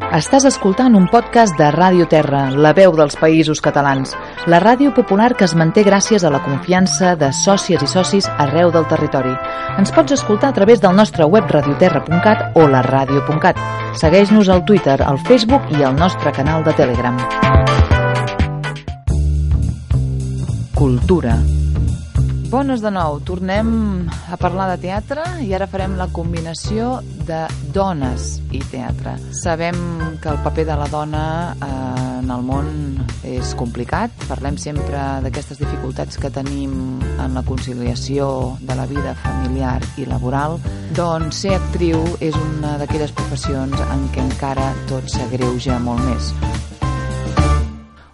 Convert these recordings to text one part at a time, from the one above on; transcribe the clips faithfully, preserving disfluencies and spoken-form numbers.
Estàs escoltant un podcast de Ràdio Terra, la veu dels Països Catalans, la ràdio popular que es manté gràcies a la confiança de sòcies i socis arreu del territori. Ens pots escoltar a través del nostre web radioterra punt cat o la ràdio punt cat. Segueix-nos al Twitter, al Facebook i al nostre canal de Telegram. Cultura. Bones de nou, tornem a parlar de teatre i ara farem la combinació de dones i teatre. Sabem que el paper de la dona eh, en el món és complicat, parlem sempre d'aquestes dificultats que tenim en la conciliació de la vida familiar i laboral, doncs ser actriu és una d'aquelles professions en què encara tot s'agreuja molt més.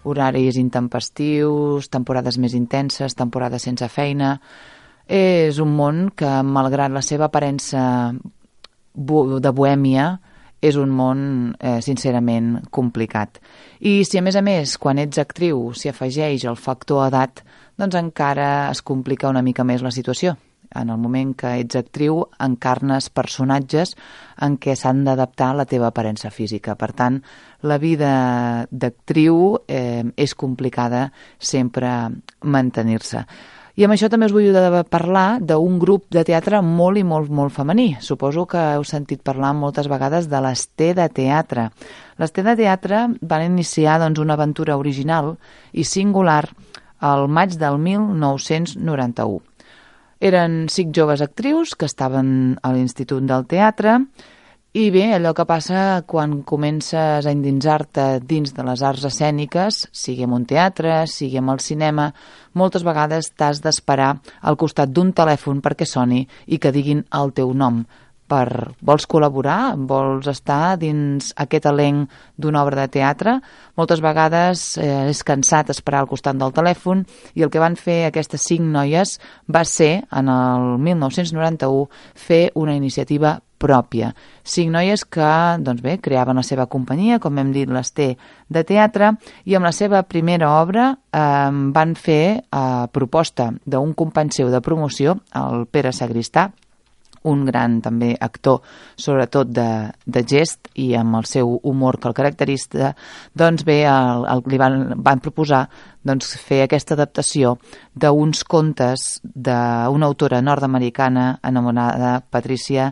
Horaris intempestius, temporades més intenses, temporades sense feina. És un món que, malgrat la seva aparença de bohèmia, és un món, eh, sincerament, complicat. I si, a més a més, quan ets actriu s'hi afegeix el factor edat, doncs encara es complica una mica més la situació. En el moment que ets actriu, encarnes personatges en què s'han d'adaptar a la teva aparença física. Per tant, la vida d'actriu eh, és complicada sempre mantenir-se. I amb això també us vull parlar d'un grup de teatre molt i molt, molt femení. Suposo que heu sentit parlar moltes vegades de les T de Teatre. Les T de Teatre van iniciar doncs, una aventura original i singular al maig del mil nou-cents noranta-u. Eren cinc joves actrius que estaven a l'Institut del Teatre i bé, allò que passa quan comences a endinsar-te dins de les arts escèniques, sigui en un teatre, sigui en el cinema, moltes vegades t'has d'esperar al costat d'un telèfon perquè soni i que diguin el teu nom. Per, vols col·laborar? Vols estar dins aquest elenc d'una obra de teatre? Moltes vegades eh, és cansat esperar al costat del telèfon i el que van fer aquestes cinc noies va ser, en el mil nou-cents noranta-u, fer una iniciativa pròpia. Cinc noies que, doncs bé, creaven la seva companyia, com hem dit, les T de Teatre, i amb la seva primera obra eh, van fer a proposta d'un company seu de promoció, el Pere Sagristà, un gran també actor, sobretot de, de gest i amb el seu humor que el caracteritza, doncs bé, el, el, li van, van proposar doncs, fer aquesta adaptació d'uns contes d'una autora nord-americana anomenada Patricia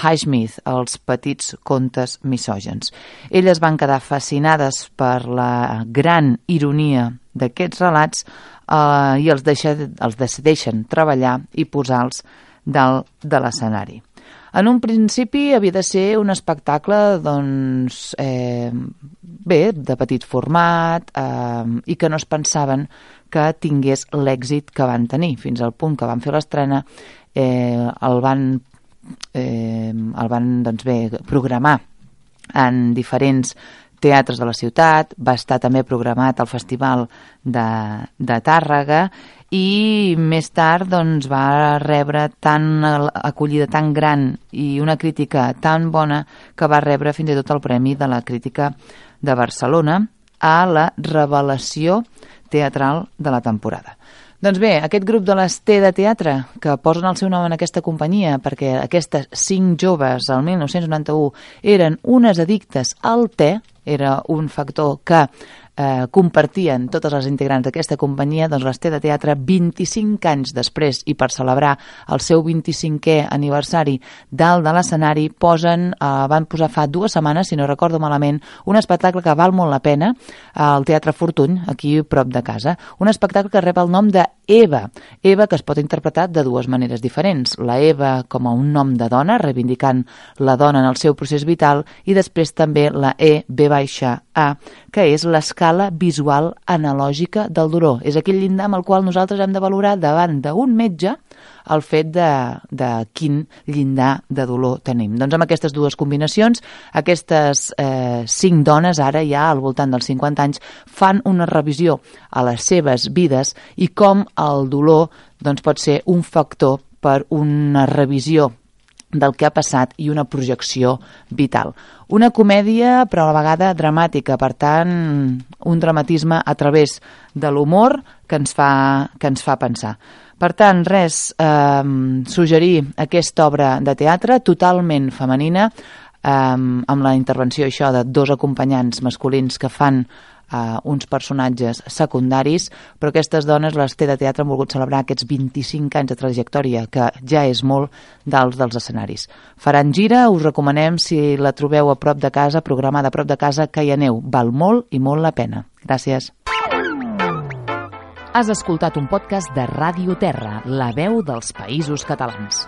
Highsmith, els petits contes misògens. Elles van quedar fascinades per la gran ironia d'aquests relats eh, i els, deixa, els decideixen treballar i posar-los dalt de l'escenari. En un principi havia de ser un espectacle doncs, eh, bé, de petit format eh, i que no es pensaven que tingués l'èxit que van tenir. Fins al punt que van fer l'estrena, eh, el van, eh, el van doncs bé, programar en diferents teatres de la ciutat, va estar també programat al Festival de, de Tàrrega i més tard doncs, va rebre tan acollida tan gran i una crítica tan bona que va rebre fins i tot el Premi de la Crítica de Barcelona a la revelació teatral de la temporada. Doncs bé, aquest grup de les T de Teatre, que posen el seu nom en aquesta companyia perquè aquestes cinc joves al mil nou-cents noranta-u eren unes addictes al te, era un factor que eh, compartien totes les integrants d'aquesta companyia, doncs les T de Teatre, vint-i-cinc anys després i per celebrar el seu vint-i-cinquè aniversari dalt de l'escenari, posen, eh, van posar fa dues setmanes, si no recordo malament, un espectacle que val molt la pena al Teatre Fortuny, aquí prop de casa. Un espectacle que rep el nom de Eva. Eva, que es pot interpretar de dues maneres diferents. La Eva com a un nom de dona, reivindicant la dona en el seu procés vital, i després també la E, B baixa A, que és l'escala visual analògica del dolor. És aquell llindar amb el qual nosaltres hem de valorar davant d'un metge el fet de, de quin llindar de dolor tenim. Doncs amb aquestes dues combinacions, aquestes eh, cinc dones, ara ja al voltant dels cinquanta anys, fan una revisió a les seves vides i com el dolor doncs, pot ser un factor per una revisió del que ha passat i una projecció vital. Una comèdia, però a la vegada dramàtica, per tant, un dramatisme a través de l'humor que ens fa, que ens fa pensar. Per tant, res, eh, suggerir aquesta obra de teatre totalment femenina, um, amb la intervenció això de dos acompanyants masculins que fan Uh, uns personatges secundaris, però aquestes dones, les T de Teatre, han volgut celebrar aquests vint-i-cinc anys de trajectòria, que ja és molt d'alts dels escenaris. Faran gira, us recomanem, si la trobeu a prop de casa, programada a prop de casa, que hi aneu. Val molt i molt la pena. Gràcies. Has escoltat un podcast de Ràdio Terra, la veu dels Països Catalans.